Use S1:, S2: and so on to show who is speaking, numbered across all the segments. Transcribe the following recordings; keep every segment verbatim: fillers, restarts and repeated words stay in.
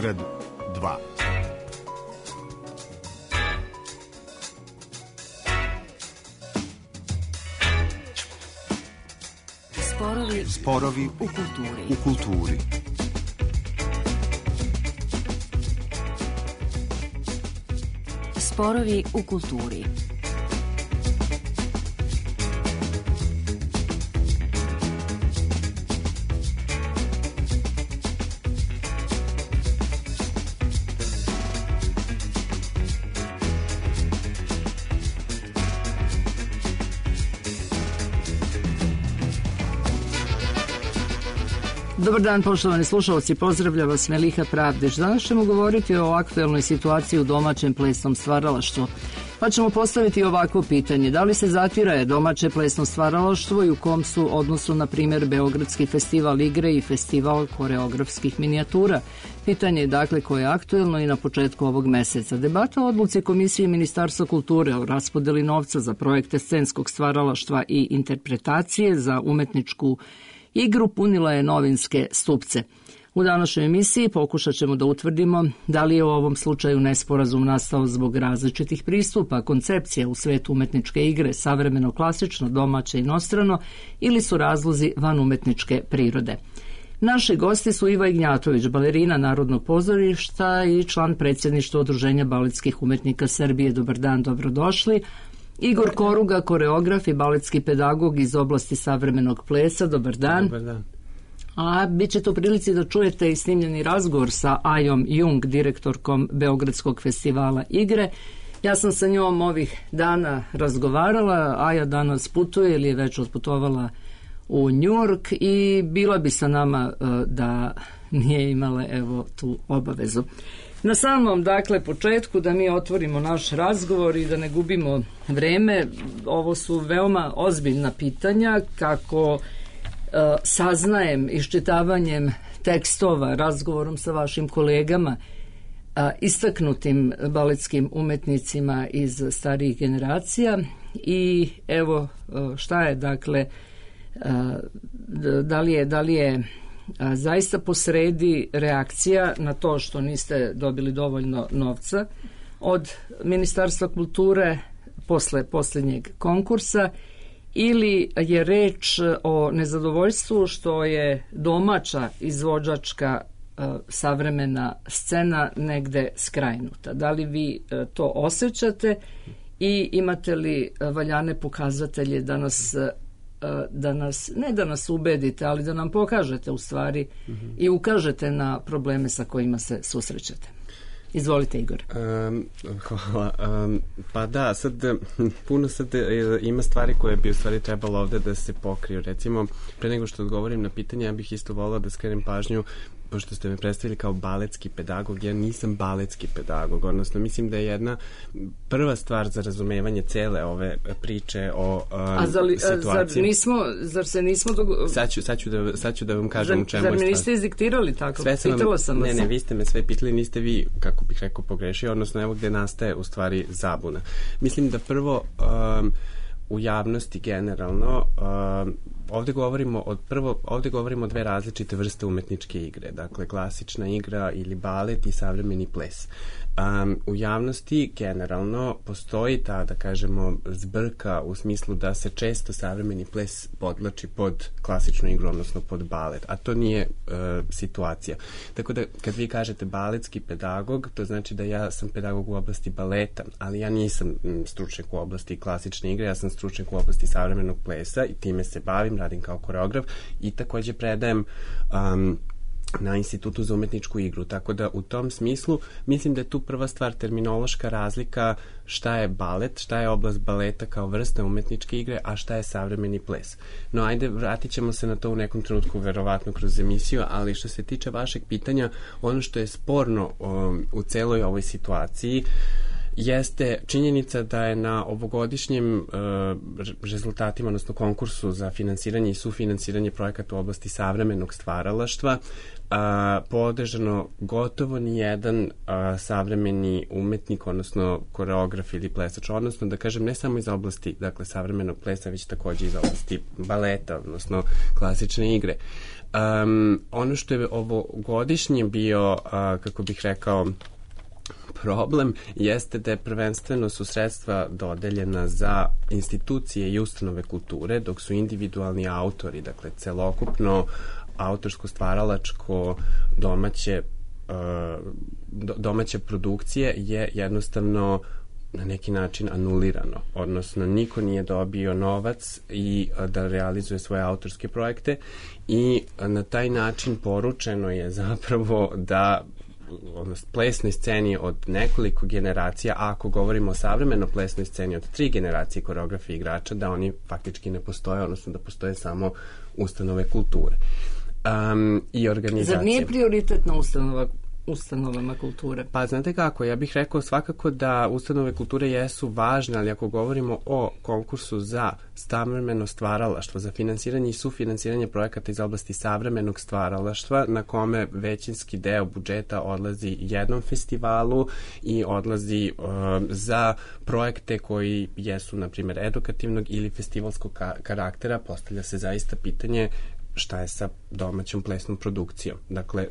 S1: Beograd dva.
S2: Sporovi,
S1: Sporovi
S2: u kulturi.
S1: U kulturi.
S2: Sporovi u kulturi.
S3: Dobar dan, poštovani slušalci, pozdravlja vas Meliha Pravdić. Danas ćemo govoriti o aktuelnoj situaciji u domaćem plesnom stvaralaštvu. Pa ćemo postaviti ovakvo pitanje. Da li se zatira domaće plesno stvaralaštvo i u kom su odnosu, na primjer, Beogradski festival igre i festival koreografskih minijatura? Pitanje je dakle koje je aktuelno i na početku ovog meseca. Debata o odluci Komisije Ministarstva kulture o raspodeli novca za projekte scenskog stvaralaštva i interpretacije za umetničku igru punila je novinske stupce. U današnjoj emisiji pokušat ćemo da utvrdimo da li je u ovom slučaju nesporazum nastao zbog različitih pristupa, koncepcija u svetu umetničke igre, savremeno, klasično, domaće, inostrano, ili su razlozi van umetničke prirode. Naši gosti su Iva Ignjatović, balerina Narodnog pozorišta i član predsjedništva Udruženja baletskih umetnika Srbije. Dobar dan, dobrodošli. Igor Koruga, koreograf i baletski pedagog iz oblasti savremenog plesa. Dobar dan.
S4: Dobar dan.
S3: A bit ćete u prilici da čujete i snimljeni razgovor sa Ajom Jung, direktorkom Beogradskog festivala igre. Ja sam sa njom ovih dana razgovarala. Aja danas putuje ili je već otputovala u Njujork i bila bi sa nama da nije imala evo tu obavezu. Na samom, dakle, početku da mi otvorimo naš razgovor i da ne gubimo vreme, ovo su veoma ozbiljna pitanja kako e, saznajem iščitavanjem tekstova, razgovorom sa vašim kolegama, a, istaknutim baletskim umetnicima iz starijih generacija i evo šta je, dakle, a, da li je, da li je A, zaista posredi reakcija na to što niste dobili dovoljno novca od Ministarstva kulture posle posljednjeg konkursa ili je reč o nezadovoljstvu što je domaća izvođačka a, savremena scena negde skrajnuta. Da li vi a, to osjećate i imate li a, valjane pokazatelje da nas da nas, ne da nas ubedite, ali da nam pokažete u stvari mm-hmm. i ukažete na probleme sa kojima se susrećete. Izvolite, Igor.
S4: Um, hvala. Um, pa da, sad puno sad ima stvari koje bi u stvari trebalo ovde da se pokriju. Recimo, pre nego što odgovorim na pitanje, ja bih isto volila da skrenem pažnju, pošto ste me predstavili kao baletski pedagog, ja nisam baletski pedagog, odnosno mislim da je jedna prva stvar za razumevanje cele ove priče o um,
S3: a zali, situaciji. Zar, nismo, zar se nismo... Dogo...
S4: Sad ću, sad ću, da, sad ću da vam kažem
S3: zar,
S4: u čemu
S3: zar
S4: je
S3: mi niste izdiktirali tako?
S4: Sve sam
S3: Pitala
S4: vam,
S3: sam vas.
S4: Ne, ne, vi ste me sve pitali, niste vi, kako bih rekao, pogrešio, odnosno evo gde nastaje u stvari zabuna. Mislim da prvo... Um, u javnosti generalno uh, ovde govorimo od prvo ovde govorimo o dve različite vrste umetničke igre, dakle klasična igra ili balet i savremeni ples. Um, u javnosti generalno postoji ta, da kažemo, zbrka u smislu da se često savremeni ples podvlači pod klasičnu igru, odnosno pod balet, a to nije uh, situacija. Tako da kad vi kažete baletski pedagog, to znači da ja sam pedagog u oblasti baleta, ali ja nisam m, stručnjak u oblasti klasične igre, ja sam stručnjak u oblasti savremenog plesa i time se bavim, radim kao koreograf i takođe predajem um, na Institutu za umetničku igru, tako da u tom smislu mislim da je tu prva stvar terminološka razlika šta je balet, šta je oblast baleta kao vrsta umetničke igre, a šta je savremeni ples. No ajde, vratit ćemo se na to u nekom trenutku, verovatno kroz emisiju, ali što se tiče vašeg pitanja, ono što je sporno um, u celoj ovoj situaciji jeste činjenica da je na ovogodišnjim uh, rezultatima, odnosno konkursu za finansiranje i sufinansiranje projekata u oblasti savremenog stvaralaštva, a, podržano gotovo nijedan a, savremeni umetnik, odnosno koreograf ili plesač, odnosno da kažem ne samo iz oblasti dakle savremenog plesa, već takođe iz oblasti baleta, odnosno klasične igre. Um, ono što je ovogodišnje bio, a, kako bih rekao, problem jeste da je prvenstveno su sredstva dodeljena za institucije i ustanove kulture, dok su individualni autori, dakle celokupno autorsko stvaralačko domaće domaće produkcije je jednostavno na neki način anulirano, odnosno niko nije dobio novac i da realizuje svoje autorske projekte i na taj način poručeno je zapravo da odnosno plesnoj sceni od nekoliko generacija, a ako govorimo o savremeno plesnoj sceni od tri generacije koreografa i igrača, da oni faktički ne postoje, odnosno da postoje samo ustanove kulture. Um, i organizacije.
S3: Zar nije prioritetna ustanova ustanovama kulture?
S4: Pa znate kako, ja bih rekao svakako da ustanove kulture jesu važne, ali ako govorimo o konkursu za savremeno stvaralaštvo, za finansiranje i sufinansiranje projekata iz oblasti savremenog stvaralaštva, na kome većinski deo budžeta odlazi jednom festivalu i odlazi uh, za projekte koji jesu, na primjer, edukativnog ili festivalskog ka- karaktera, postavlja se zaista pitanje šta je sa domaćom plesnom produkcijom. Dakle,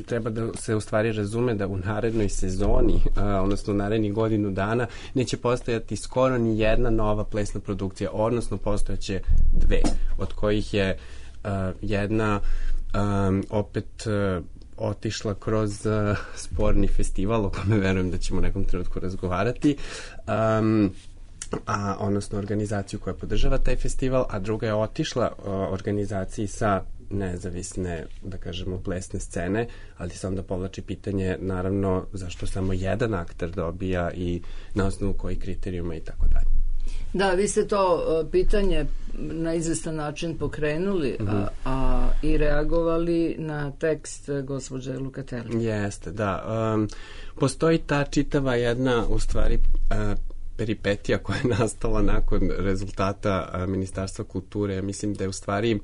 S4: treba da se u stvari razume da u narednoj sezoni, odnosno u narednih godinu dana, neće postojati skoro ni jedna nova plesna produkcija, odnosno postojaće dve, od kojih je jedna opet otišla kroz sporni festival, o kome verujem da ćemo u nekom trenutku razgovarati, um, a odnosno organizaciju koja podržava taj festival, a druga je otišla o, organizaciji sa nezavisne, da kažemo, plesne scene, ali se onda povlači pitanje, naravno, zašto samo jedan akter dobija i na osnovu kojih kriterijuma i tako dalje.
S3: Da, vi ste to uh, pitanje na izvestan način pokrenuli, mm-hmm. a, a i reagovali na tekst uh, gospođe Lukatelli.
S4: Jeste, da. Um, postoji ta čitava jedna, u stvari, uh, peripetija koja je nastala nakon rezultata a, Ministarstva kulture. Mislim da je u stvari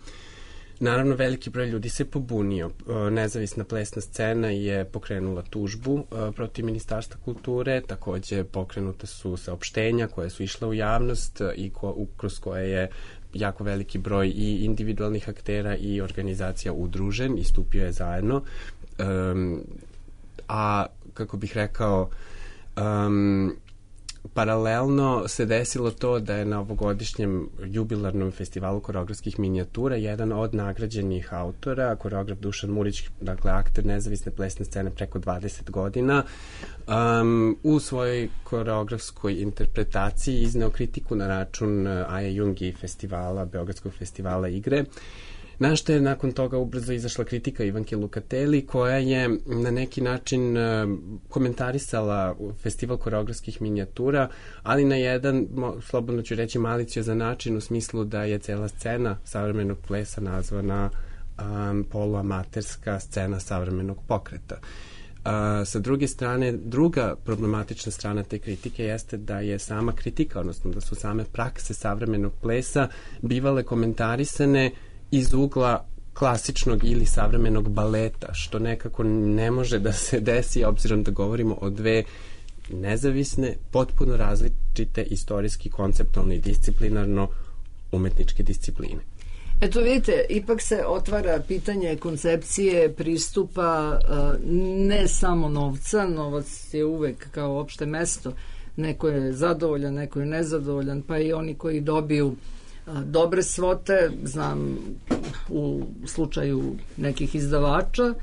S4: naravno veliki broj ljudi se pobunio. A, nezavisna plesna scena je pokrenula tužbu a, protiv Ministarstva kulture, takođe pokrenuta su saopštenja koje su išle u javnost a, i ko, u, kroz koje je jako veliki broj i individualnih aktera i organizacija udružen i stupio je zajedno. Um, a kako bih rekao, um, paralelno se desilo to da je na ovogodišnjem jubilarnom festivalu koreografskih minijatura jedan od nagrađenih autora, koreograf Dušan Murić, dakle akter nezavisne plesne scene preko dvadeset godina, um, u svojoj koreografskoj interpretaciji izneo kritiku na račun Aje Jung i festivala, Beogradskog festivala igre, na što je nakon toga ubrzo izašla kritika Ivanke Lukatelli, koja je na neki način komentarisala festival koreografskih minijatura, ali na jedan, slobodno ću reći, maliciozan način, u smislu da je cela scena savremenog plesa nazvana um, poluamaterska scena savremenog pokreta. Uh, sa druge strane, druga problematična strana te kritike jeste da je sama kritika, odnosno da su same prakse savremenog plesa bivale komentarisane iz ugla klasičnog ili savremenog baleta, što nekako ne može da se desi, obzirom da govorimo o dve nezavisne, potpuno različite istorijski, konceptualno i disciplinarno umetničke discipline.
S3: Eto vidite, ipak se otvara pitanje koncepcije, pristupa, ne samo novca, novac je uvek kao opšte mesto, neko je zadovoljan, neko je nezadovoljan, pa i oni koji dobiju dobre svote, znam u slučaju nekih izdavača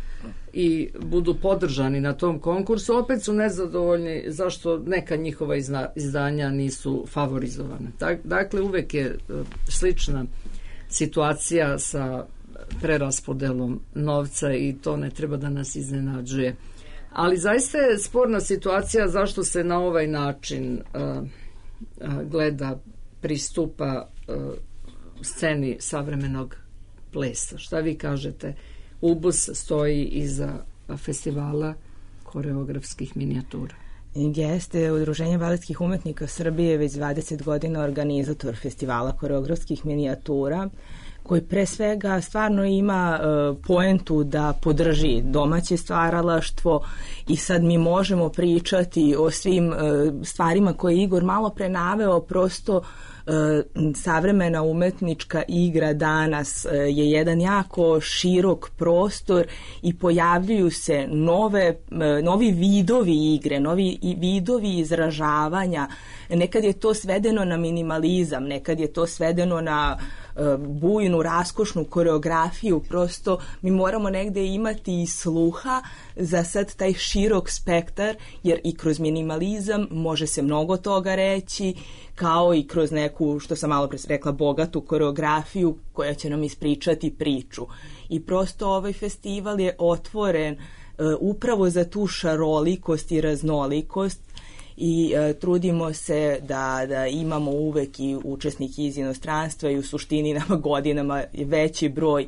S3: i budu podržani na tom konkursu, opet su nezadovoljni zašto neka njihova izdanja nisu favorizovane. Dakle, uvek je slična situacija sa preraspodelom novca i to ne treba da nas iznenađuje. Ali zaista je sporna situacija zašto se na ovaj način uh, uh, gleda, pristupa uh, sceni savremenog plesa. Šta vi kažete? U B U S stoji iza festivala koreografskih minijatura.
S1: Jeste, Udruženje baletskih umetnika Srbije već dvadeset godina organizator festivala koreografskih minijatura, koji pre svega stvarno ima uh, poentu da podrži domaće stvaralaštvo i sad mi možemo pričati o svim uh, stvarima koje je Igor malo pre naveo, prosto uh, savremena umetnička igra danas uh, je jedan jako širok prostor i pojavljuju se nove, uh, novi vidovi igre, novi vidovi izražavanja. Nekad je to svedeno na minimalizam, nekad je to svedeno na bujnu, raskošnu koreografiju, prosto mi moramo negde imati i sluha za sad taj širok spektar, jer i kroz minimalizam može se mnogo toga reći, kao i kroz neku, što sam malo pre rekla, bogatu koreografiju koja će nam ispričati priču. I prosto ovaj festival je otvoren uh, upravo za tu šarolikost i raznolikost i e, trudimo se da, da imamo uvek i učesnike iz inostranstva i u suštini nama godinama veći broj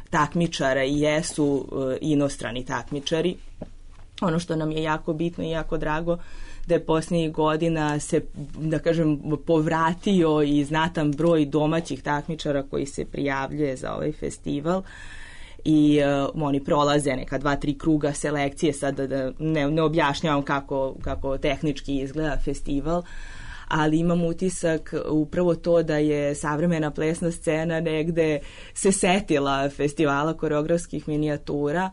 S1: takmičara i jesu e, inostrani takmičari. Ono što nam je jako bitno i jako drago da je posljednjih godina se, da kažem, povratio i znatan broj domaćih takmičara koji se prijavljuje za ovaj festival i uh, oni prolaze neka dva, tri kruga selekcije, sad da ne, ne objašnjavam kako, kako tehnički izgleda festival, ali imam utisak upravo to da je savremena plesna scena negde se setila festivala koreografskih minijatura,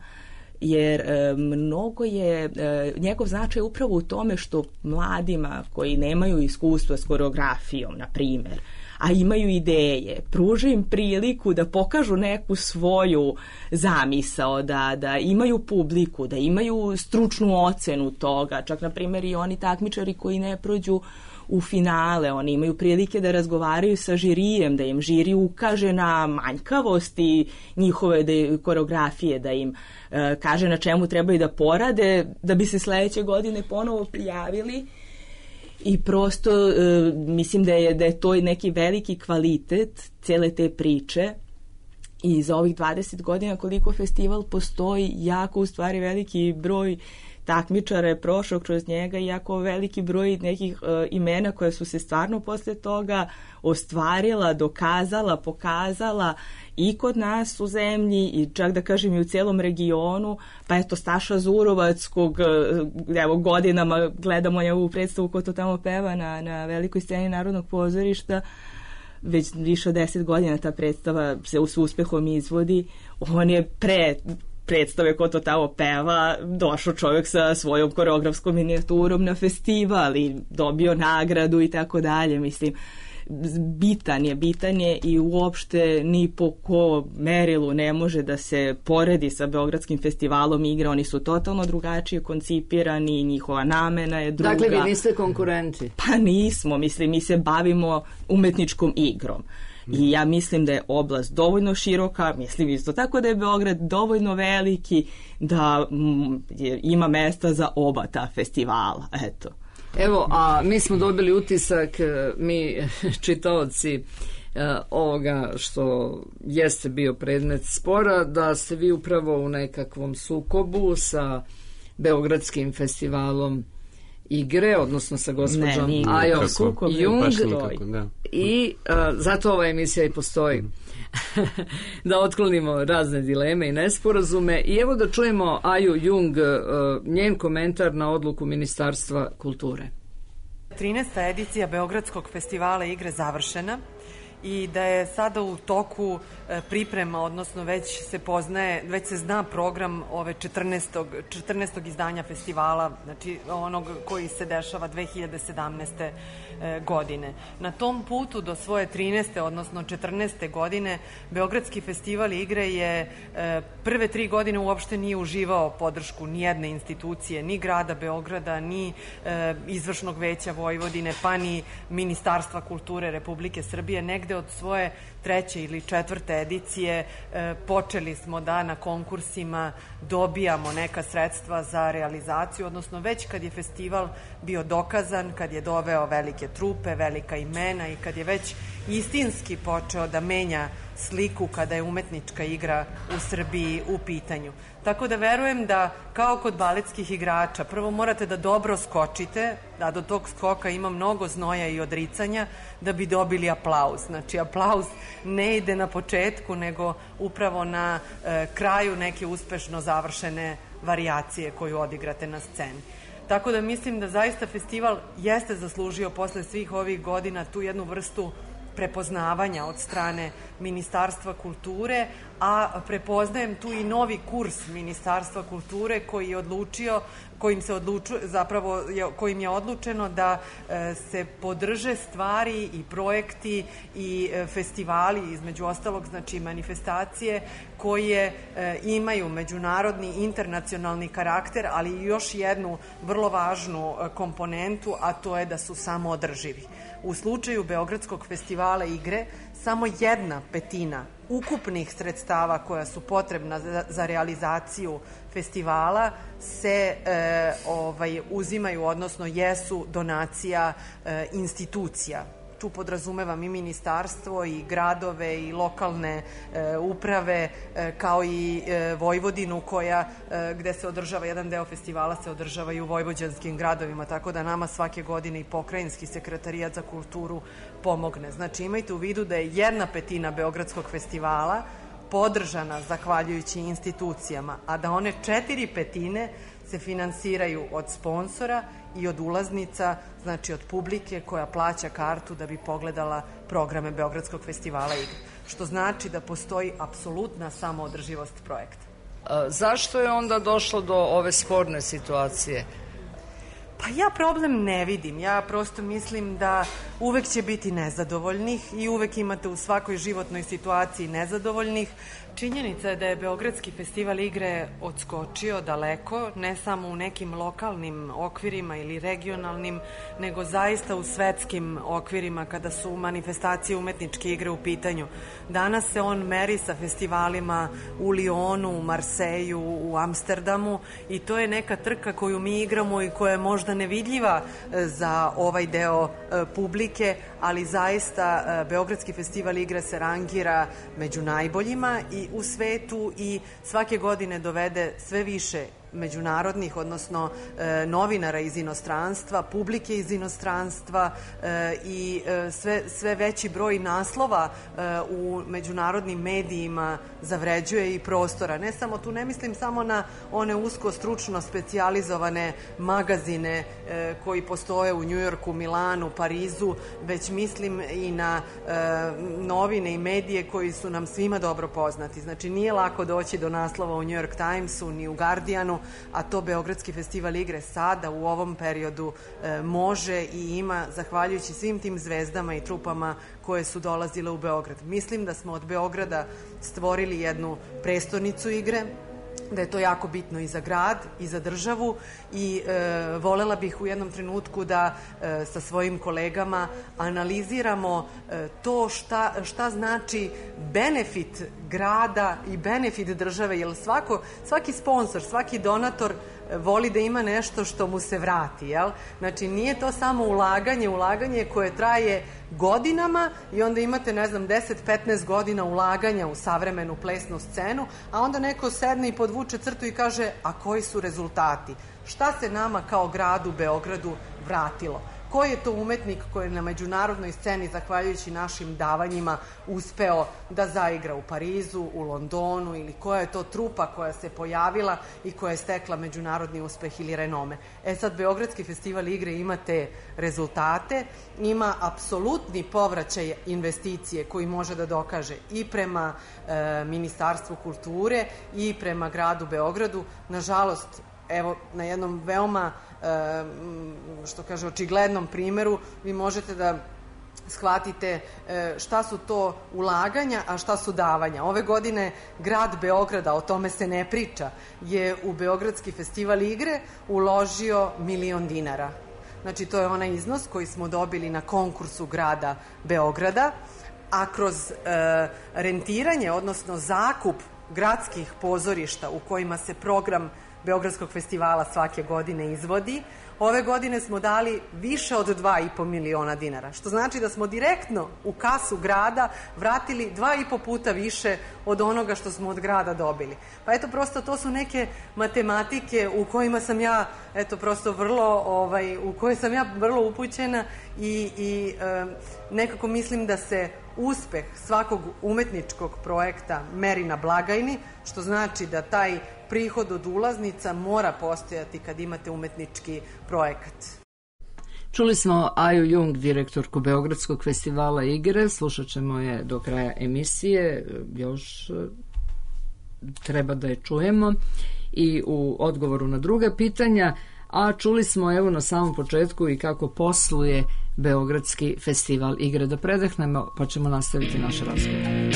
S1: jer e, mnogo je e, njegov značaj upravo u tome što mladima koji nemaju iskustva s koreografijom, na primjer, a imaju ideje, pruže im priliku da pokažu neku svoju zamisao, da, da imaju publiku, da imaju stručnu ocenu toga, čak na primjer i oni takmičari koji ne prođu u finale, oni imaju prilike da razgovaraju sa žirijem, da im žiri ukaže na manjkavosti njihove da, koreografije, da im e, kaže na čemu trebaju da porade, da bi se sledeće godine ponovo prijavili. I prosto e, mislim da je, da je to neki veliki kvalitet cele te priče i za ovih dvadeset godina koliko festival postoji, jako u stvari veliki broj takmičara je prošao kroz njega i jako veliki broj nekih e, imena koja su se stvarno posle toga ostvarila, dokazala, pokazala i kod nas u zemlji i čak da kažem i u celom regionu, pa eto Staša Zurovac kog evo godinama gledamo njegovu predstavu ko to tamo peva na, na velikoj sceni Narodnog pozorišta, već više od deset godina ta predstava se s uspehom izvodi, on je pre predstave ko to tamo peva došao čovjek sa svojom koreografskom minijaturom na festival i dobio nagradu i tako dalje, mislim bitan je, bitan je i uopšte ni po ko merilu ne može da se poredi sa Beogradskim festivalom igre, oni su totalno drugačije koncipirani, njihova namena je druga.
S3: Dakle, vi niste konkurenti?
S1: Pa nismo, mislim, mi se bavimo umetničkom igrom. I ja mislim da je oblast dovoljno široka, mislim isto tako da je Beograd dovoljno veliki da mm, ima mesta za oba ta festivala, eto.
S3: Evo, a mi smo dobili utisak, mi čitaoci ovoga što jeste bio predmet spora, da ste vi upravo u nekakvom sukobu sa Beogradskim festivalom igre, odnosno sa gospođom Ajom Jung i a, zato ova emisija i postoji. Da otklonimo razne dileme i nesporazume i evo da čujemo Aju Jung, njen komentar na odluku Ministarstva kulture.
S5: trinaesta edicija Beogradskog festivala igre završena i da je sada u toku priprema, odnosno već se poznaje, već se zna program ove četrnaestog, četrnaestog izdanja festivala, znači onog koji se dešava dve hiljade sedamnaeste godine. Na tom putu do svoje trinaeste, odnosno četrnaeste godine, Beogradski festival igre je prve tri godine uopšte nije uživao podršku ni jedne institucije, ni grada Beograda, ni izvršnog veća Vojvodine, pa ni Ministarstva kulture Republike Srbije. Negde od svoje treće ili četvrte edicije e, počeli smo da na konkursima dobijamo neka sredstva za realizaciju, odnosno već kad je festival bio dokazan, kad je doveo velike trupe, velika imena i kad je već istinski počeo da menja sliku kada je umetnička igra u Srbiji u pitanju. Tako da verujem da, kao kod baletskih igrača, prvo morate da dobro skočite, da do tog skoka ima mnogo znoja i odricanja, da bi dobili aplauz. Znači, aplauz ne ide na početku, nego upravo na e, kraju neke uspešno završene varijacije koju odigrate na sceni. Tako da mislim da zaista festival jeste zaslužio posle svih ovih godina tu jednu vrstu prepoznavanja od strane Ministarstva kulture, a prepoznajem tu i novi kurs Ministarstva kulture koji je odlučio, kojim se odlučuje, zapravo kojim je odlučeno da e, se podrže stvari i projekti i e, festivali, između ostalog, znači manifestacije koje e, imaju međunarodni, internacionalni karakter, ali i još jednu vrlo važnu e, komponentu, a to je da su samoodrživi. U slučaju Beogradskog festivala igre, samo jedna petina ukupnih sredstava koja su potrebna za, za realizaciju festivala se e, ovaj, uzimaju, odnosno jesu donacija e, institucija. Tu podrazumevam i ministarstvo i gradove i lokalne e, uprave e, kao i e, Vojvodinu koja e, gde se održava jedan deo festivala se održava i u vojvođanskim gradovima, tako da nama svake godine i pokrajinski sekretarijat za kulturu pomogne. Znači imajte u vidu da je jedna petina Beogradskog festivala podržana zahvaljujući institucijama, a da one četiri petine se finansiraju od sponsora i od ulaznica, znači od publike koja plaća kartu da bi pogledala programe Beogradskog festivala igre. Što znači da postoji apsolutna samoodrživost projekta.
S3: A zašto je onda došlo do ove sporne situacije?
S5: Pa ja problem ne vidim. Ja prosto mislim da uvek će biti nezadovoljnih i uvek imate u svakoj životnoj situaciji nezadovoljnih. Činjenica je da je Beogradski festival igre odskočio daleko, ne samo u nekim lokalnim okvirima ili regionalnim, nego zaista u svetskim okvirima kada su manifestacije umetničke igre u pitanju. Danas se on meri sa festivalima u Lionu, u Marseju, u Amsterdamu i to je neka trka koju mi igramo i koja je možda nevidljiva za ovaj deo publike, ali zaista Beogradski festival igre se rangira među najboljima i u svetu i svake godine dovede sve više međunarodnih, odnosno e, novinara iz inostranstva, publike iz inostranstva e, i e, sve, sve veći broj naslova e, u međunarodnim medijima zavređuje i prostora. Ne samo tu, ne mislim samo na one usko stručno specijalizovane magazine e, koji postoje u Njujorku, Milanu, Parizu, već mislim i na e, novine i medije koji su nam svima dobro poznati. Znači nije lako doći do naslova u New York Timesu ni u Guardianu, a to Beogradski festival igre sada u ovom periodu e, može i ima zahvaljujući svim tim zvezdama i trupama koje su dolazile u Beograd. Mislim da smo od Beograda stvorili jednu prestonicu igre, da je to jako bitno i za grad i za državu i e, volela bih u jednom trenutku da e, sa svojim kolegama analiziramo e, to šta, šta znači benefit grada i benefit države, jer svako, svaki sponsor, svaki donator voli da ima nešto što mu se vrati, jel? Znači, nije to samo ulaganje, ulaganje koje traje godinama i onda imate, ne znam, deset do petnaest godina ulaganja u savremenu plesnu scenu, a onda neko sedne i podvuče crtu i kaže, a koji su rezultati? Šta se nama kao gradu Beogradu vratilo? Koji je to umetnik koji je na međunarodnoj sceni, zahvaljujući našim davanjima, uspeo da zaigra u Parizu, u Londonu, ili koja je to trupa koja se pojavila i koja je stekla međunarodni uspeh ili renome. E sad, Beogradski festival igre ima te rezultate, ima apsolutni povraćaj investicije koji može da dokaže i prema e, Ministarstvu kulture i prema gradu Beogradu. Nažalost, evo, na jednom veoma, što kaže, očiglednom primeru, vi možete da shvatite šta su to ulaganja, a šta su davanja. Ove godine grad Beograda, o tome se ne priča, je u Beogradski festival igre uložio milion dinara. Znači, to je onaj iznos koji smo dobili na konkursu grada Beograda, a kroz rentiranje, odnosno zakup gradskih pozorišta u kojima se program Beogradskog festivala svake godine izvodi. Ove godine smo dali više od dva i po miliona dinara, što znači da smo direktno u kasu grada vratili dva i po puta više od onoga što smo od grada dobili. Pa eto, prosto to su neke matematike u kojima sam ja, eto, prosto vrlo, ovaj, u koje sam ja vrlo upućena i, i e, nekako mislim da se uspeh svakog umetničkog projekta meri na blagajni, što znači da taj prihod od ulaznica mora postojati kad imate umetnički projekat.
S3: Čuli smo Aju Jung, direktorku Beogradskog festivala igre, slušat ćemo je do kraja emisije, još treba da je čujemo i u odgovoru na druga pitanja, a čuli smo evo na samom početku i kako posluje Beogradski festival igre. Da predahnemo pa ćemo nastaviti naš razgovor.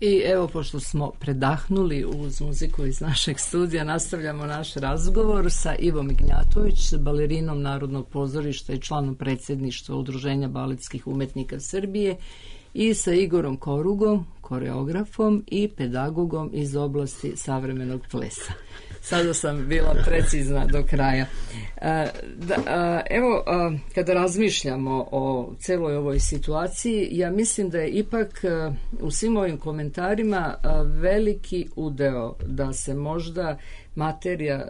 S3: I evo, pošto smo predahnuli uz muziku iz našeg studija, nastavljamo naš razgovor sa Ivom Ignjatović, balerinom Narodnog pozorišta i članom predsjedništva Udruženja baletskih umetnika Srbije, i sa Igorom Korugom, koreografom i pedagogom iz oblasti savremenog plesa. Sada sam bila precizna do kraja. Da, evo, kada razmišljamo o celoj ovoj situaciji, ja mislim da je ipak u svim ovim komentarima veliki udeo da se možda materija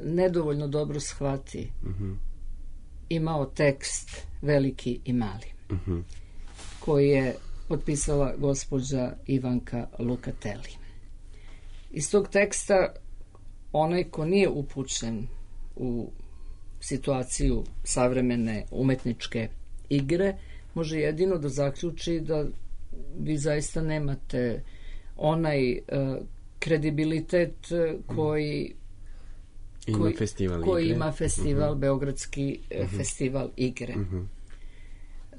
S3: nedovoljno dobro shvati. Mm-hmm. Imao tekst veliki i mali, mm-hmm. koji je potpisala gospođa Ivanka Lukatelli. Iz tog teksta onaj ko nije upućen u situaciju savremene umetničke igre može jedino da zaključi da vi zaista nemate onaj uh, kredibilitet koji
S4: ima
S3: koji,
S4: festival
S3: koji
S4: igre.
S3: ima festival, uh-huh. Beogradski uh-huh. festival igre. Uh-huh.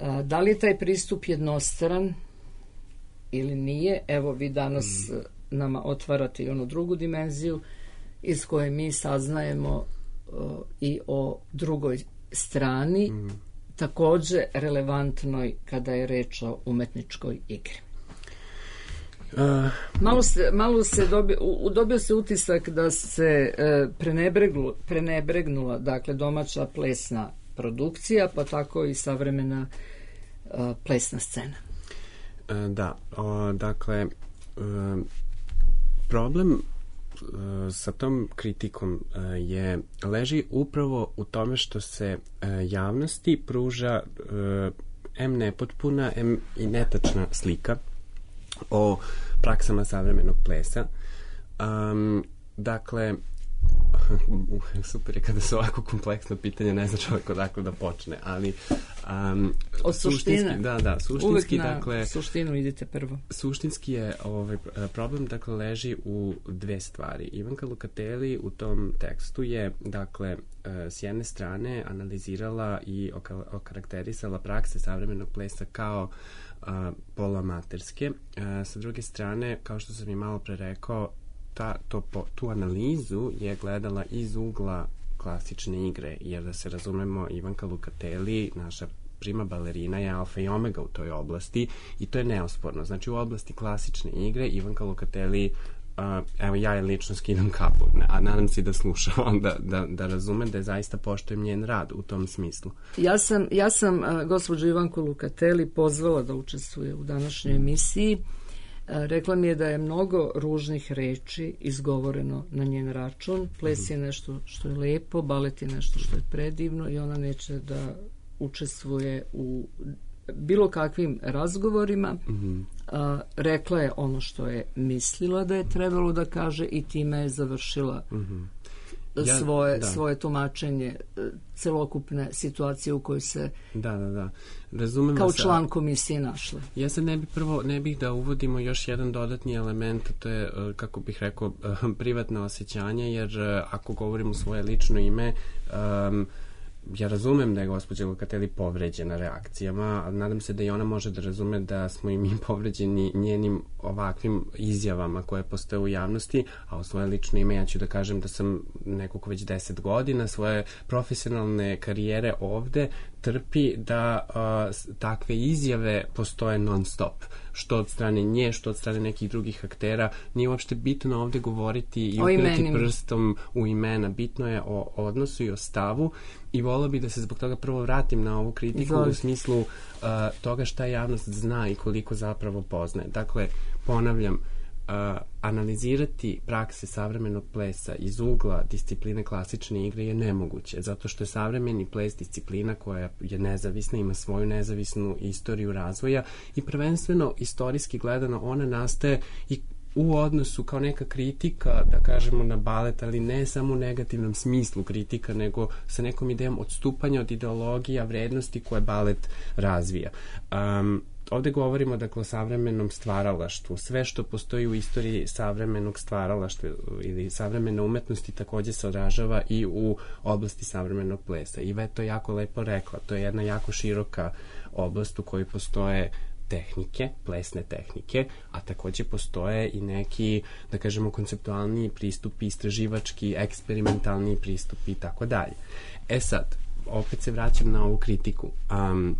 S3: A, da li je taj pristup jednostran ili nije? Evo, vi danas uh-huh. nama otvarate i onu drugu dimenziju iz koje mi saznajemo uh, i o drugoj strani, mm. takođe relevantnoj kada je reč o umetničkoj igri. Uh, malo se, malo se dobio, u, dobio se utisak da se uh, prenebreglu, prenebregnula dakle, domaća plesna produkcija, pa tako i savremena uh, plesna scena.
S4: Uh, da, o, dakle, uh, problem sa tom kritikom je leži upravo u tome što se javnosti pruža em nepotpuna, em i netačna slika o praksama savremenog plesa. Um, dakle, super je kada su ovako kompleksno pitanje, ne zna čovjek odakle da počne, ali um,
S3: od suštine.
S4: Da, da, suštinski,
S3: uvek na
S4: dakle,
S3: suštinu idite prvo.
S4: Suštinski je ovaj problem, dakle, leži u dve stvari. Ivanka Lukatelli u tom tekstu je, dakle, s jedne strane analizirala i okarakterisala prakse savremenog plesa kao uh, poluamaterske, uh, sa druge strane, kao što sam i malo pre rekao, Ta, to, po, tu analizu je gledala iz ugla klasične igre, jer da se razumemo, Ivanka Lukatelli, naša prima balerina, je alfa i omega u toj oblasti i to je neosporno. Znači, u oblasti klasične igre Ivanka Lukatelli, uh, evo ja je lično skidam kapu, a nadam se da sluša onda, da, da razume da je zaista poštujem njen rad u tom smislu.
S3: Ja sam, ja sam uh, gospođu Ivanku Lukatelli pozvala da učestvuje u današnjoj emisiji. Rekla mi je da je mnogo ružnih reči izgovoreno na njen račun. Ples je nešto što je lepo, balet je nešto što je predivno i ona neće da učestvuje u bilo kakvim razgovorima. Mm-hmm. A, rekla je ono što je mislila da je trebalo da kaže i time je završila mm-hmm. Ja, svoje, svoje tumačenje celokupne situacije u kojoj se
S4: da, da, da. Razumem
S3: kao
S4: se,
S3: član komisije našla.
S4: Ja se ne bih prvo, ne bih da uvodimo još jedan dodatni element, to je, kako bih rekao, privatno osjećanje, jer ako govorim u svoje lično ime, um, ja razumem da je gospođa Lukatelli povređena reakcijama, ali nadam se da i ona može da razume da smo i mi povređeni njenim ovakvim izjavama koje postoje u javnosti, a u svoje lično ime ja ću da kažem da sam neko ko već deset godina svoje profesionalne karijere ovde trpi da uh, takve izjave postoje non stop, što od strane nje, što od strane nekih drugih aktera. Nije uopšte bitno ovde govoriti i upirati prstom u imena, bitno je o odnosu i o stavu i volio bih da se zbog toga prvo vratim na ovu kritiku Izvolite. U smislu uh, toga šta javnost zna i koliko zapravo poznaje. Dakle, ponavljam, uh, analizirati prakse savremenog plesa iz ugla discipline klasične igre je nemoguće, zato što je savremeni ples disciplina koja je nezavisna, ima svoju nezavisnu istoriju razvoja i prvenstveno istorijski gledano ona nastaje i u odnosu kao neka kritika, da kažemo, na balet, ali ne samo u negativnom smislu kritika, nego sa nekom idejom odstupanja od ideologija, vrednosti koje balet razvija. Um, ovde govorimo, dakle, o savremenom stvaralaštvu. Sve što postoji u istoriji savremenog stvaralaštva ili savremene umetnosti takođe se odražava i u oblasti savremenog plesa. I Ve to jako lepo rekla. To je jedna jako široka oblast u kojoj postoje tehnike, plesne tehnike, a takođe postoje i neki, da kažemo, konceptualni pristupi, istraživački, eksperimentalni pristupi i tako dalje. E sad, opet se vraćam na ovu kritiku. Um,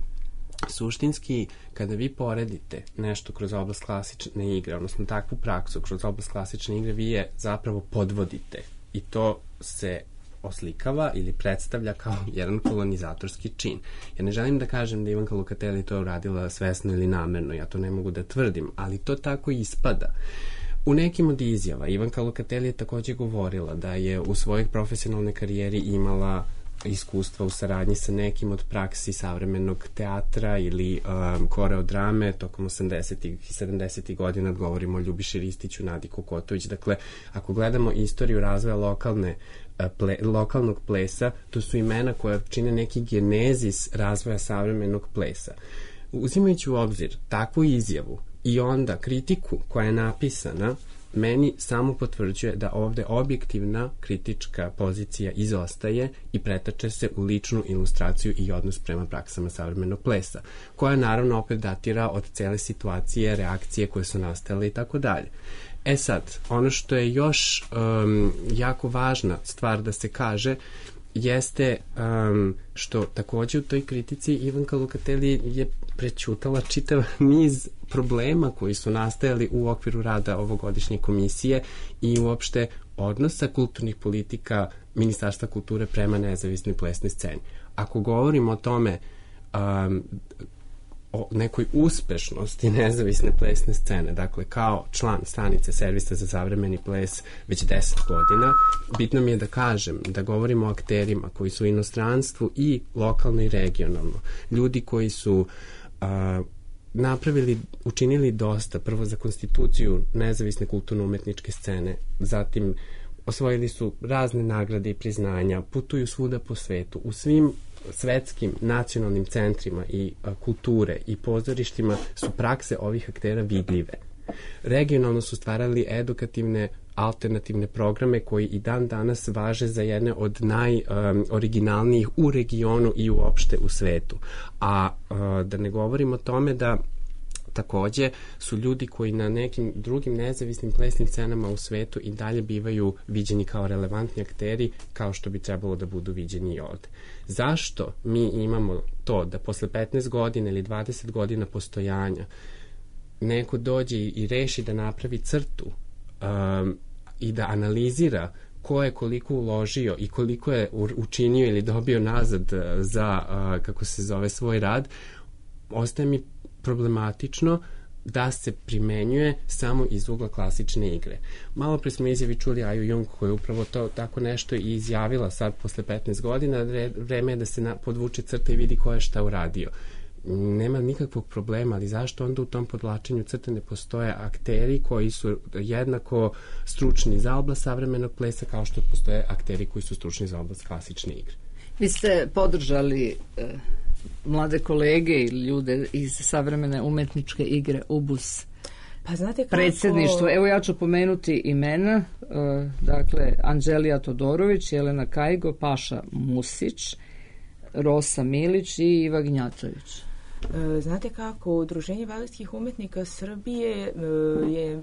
S4: suštinski, kada vi poredite nešto kroz oblast klasične igre, odnosno takvu praksu kroz oblast klasične igre, vi je zapravo podvodite i to se oslikava ili predstavlja kao jedan kolonizatorski čin. Ja ne želim da kažem da Ivanka Lukatelji to uradila svesno ili namerno, ja to ne mogu da tvrdim, ali to tako ispada. U nekim od izjava Ivanka Lukatelji je takođe govorila da je u svojoj profesionalnoj karijeri imala iskustva u saradnji sa nekim od praksi savremenog teatra ili um, koreodrame tokom osamdesetih i sedamdesetih godina, govorimo o Ljubiši Ristiću, Nadi Kokotović. Dakle, ako gledamo istoriju razvoja lokalne Ple, lokalnog plesa, to su imena koja čine neki genezis razvoja savremenog plesa. Uzimajući u obzir takvu izjavu i onda kritiku koja je napisana, meni samo potvrđuje da ovde objektivna kritička pozicija izostaje i pretače se u ličnu ilustraciju i odnos prema praksama savremenog plesa, koja naravno opet datira od cele situacije, reakcije koje su nastale i tako dalje. E sad, ono što je još um, jako važna stvar da se kaže jeste um, što takođe u toj kritici Ivanka Lukatelji je prećutala čitav niz problema koji su nastajali u okviru rada ovogodišnje komisije i uopšte odnosa kulturnih politika Ministarstva kulture prema nezavisnoj plesnoj sceni. Ako govorimo o tome um, o nekoj uspešnosti nezavisne plesne scene, dakle kao član stanice Servisa za savremeni ples već deset godina, bitno mi je da kažem da govorimo o akterima koji su u inostranstvu i lokalno i regionalno. Ljudi koji su a, napravili, učinili dosta, prvo za konstituciju nezavisne kulturno-umetničke scene, zatim osvojili su razne nagrade i priznanja, putuju svuda po svetu, u svim svetskim nacionalnim centrima i a, kulture i pozorištima su prakse ovih aktera vidljive. Regionalno su stvarali edukativne alternativne programe koji i dan danas važe za jedne od najoriginalnijih um, u regionu i uopšte u svetu. A uh, da ne govorim o tome da takođe su ljudi koji na nekim drugim nezavisnim plesnim scenama u svetu i dalje bivaju viđeni kao relevantni akteri, kao što bi trebalo da budu viđeni i ovde. Zašto mi imamo to da posle petnaest godina ili dvadeset godina postojanja neko dođe i reši da napravi crtu um, i da analizira ko je koliko uložio i koliko je učinio ili dobio nazad za, uh, kako se zove, svoj rad, ostaje mi problematično da se primenjuje samo iz ugla klasične igre. Malo pre smo izjavi čuli Aju Jung koja je upravo to tako nešto i izjavila sad posle petnaest godina, vreme je da se na, podvuče crta i vidi ko je šta uradio. Nema nikakvog problema, ali zašto onda u tom podvlačenju crte ne postoje akteri koji su jednako stručni za oblast savremenog plesa kao što postoje akteri koji su stručni za oblast klasične igre?
S3: Vi ste podržali e, mlade kolege ili ljude iz savremene umetničke igre U B U S.
S1: Pa znate kako...
S3: Predsjedništvo, evo ja ću pomenuti imena, e, dakle Anđelija Todorović, Jelena Kajgo, Paša Musić, Rosa Milić i Iva Gnjatović.
S1: Znate kako, Udruženje baletskih umetnika Srbije je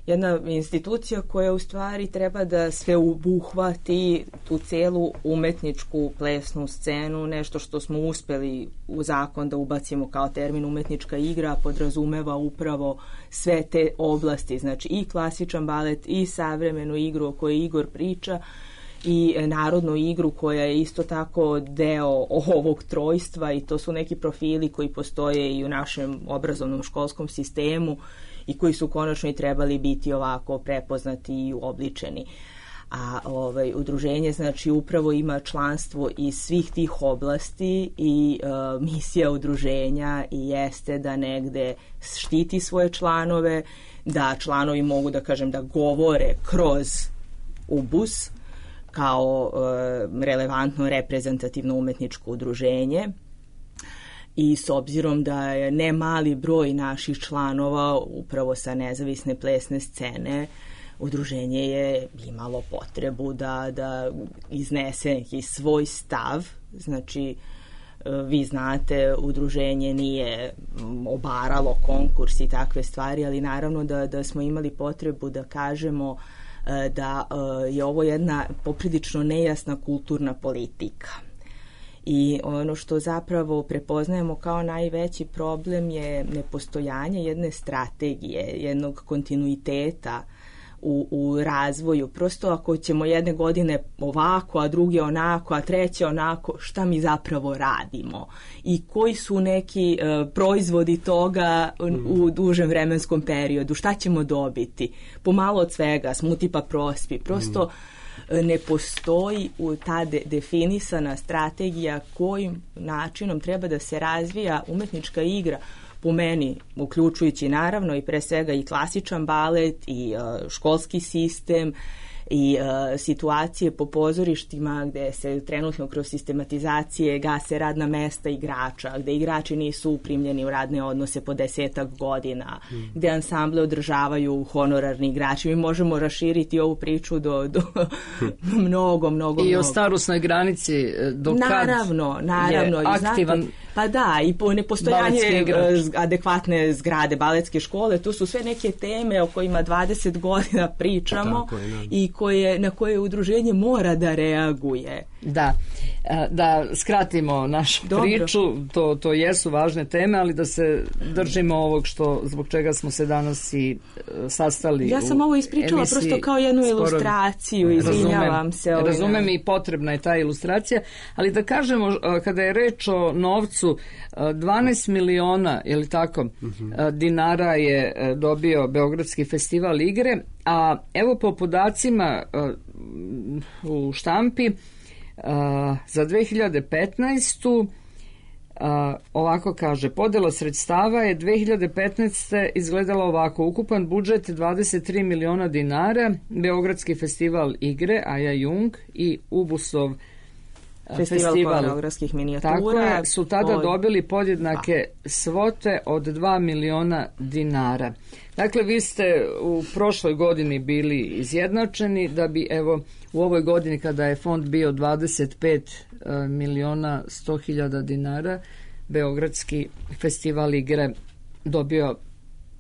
S1: jedna institucija koja u stvari treba da sve obuhvati tu celu umetničku plesnu scenu, nešto što smo uspeli u zakon da ubacimo kao termin umetnička igra, podrazumeva upravo sve te oblasti, znači i klasičan balet i savremenu igru o kojoj Igor priča, i narodnu igru koja je isto tako deo ovog trojstva, i to su neki profili koji postoje i u našem obrazovnom školskom sistemu i koji su konačno i trebali biti ovako prepoznati i uobličeni. A ovaj, udruženje znači upravo ima članstvo iz svih tih oblasti i e, misija udruženja i jeste da negde štiti svoje članove, da članovi mogu da kažem da govore kroz U B U S kao e, relevantno reprezentativno umetničko udruženje, i s obzirom da je ne mali broj naših članova upravo sa nezavisne plesne scene, udruženje je imalo potrebu da, da iznese neki svoj stav, znači vi znate, udruženje nije obaralo konkurs i takve stvari, ali naravno da, da smo imali potrebu da kažemo da je ovo jedna poprilično nejasna kulturna politika. I ono što zapravo prepoznajemo kao najveći problem je nepostojanje jedne strategije, jednog kontinuiteta u, u razvoju. Prosto ako ćemo jedne godine ovako, a druge onako, a treće onako, šta mi zapravo radimo? I koji su neki uh, proizvodi toga u dužem vremenskom periodu? Šta ćemo dobiti? Pomalo od svega, smuti pa prospi. Prosto ne postoji ta de, definisana strategija kojim načinom treba da se razvija umetnička igra, po meni, uključujući naravno i pre svega i klasičan balet i uh, školski sistem i uh, situacije po pozorištima gde se trenutno kroz sistematizacije gase radna mesta igrača, gde igrači nisu uprimljeni u radne odnose po desetak godina, mm. gde ansamble održavaju honorarni igrači. Mi možemo raširiti ovu priču do, do mnogo, mnogo,
S3: I
S1: mnogo.
S3: o starosnoj granici do kad
S1: naravno, naravno,
S3: je aktivan.
S1: Znate, pa da, i po nepostojanje adekvatne zgrade baletske škole, tu su sve neke teme o kojima dvadeset godina pričamo je, i koje, na koje udruženje mora da reaguje.
S3: Da, da skratimo našu Dobro. priču, to, to jesu važne teme, ali da se držimo ovog što, zbog čega smo se danas i sastali.
S1: Ja sam ovo ispričala prosto kao jednu sporo... ilustraciju, izvinjavam
S3: razumem,
S1: se.
S3: Razumem na... i potrebna je ta ilustracija, ali da kažemo, kada je reč o novcu, dvanaest miliona, je li tako, uh-huh. dinara je dobio Beogradski festival igre, a evo po podacima u štampi za dve hiljade petnaestu ovako kaže, podela sredstava je dve hiljade petnaeste izgledala ovako, ukupan budžet dvadeset tri miliona dinara, Beogradski festival igre, Aja Jung i Ubusov
S1: Festival, festival koreografskih minijatura.
S3: Tako je, su tada od... dobili podjednake svote od dva miliona dinara. Dakle, vi ste u prošloj godini bili izjednačeni, da bi evo u ovoj godini kada je fond bio dvadeset pet miliona sto hiljada dinara, Beogradski festival igre dobio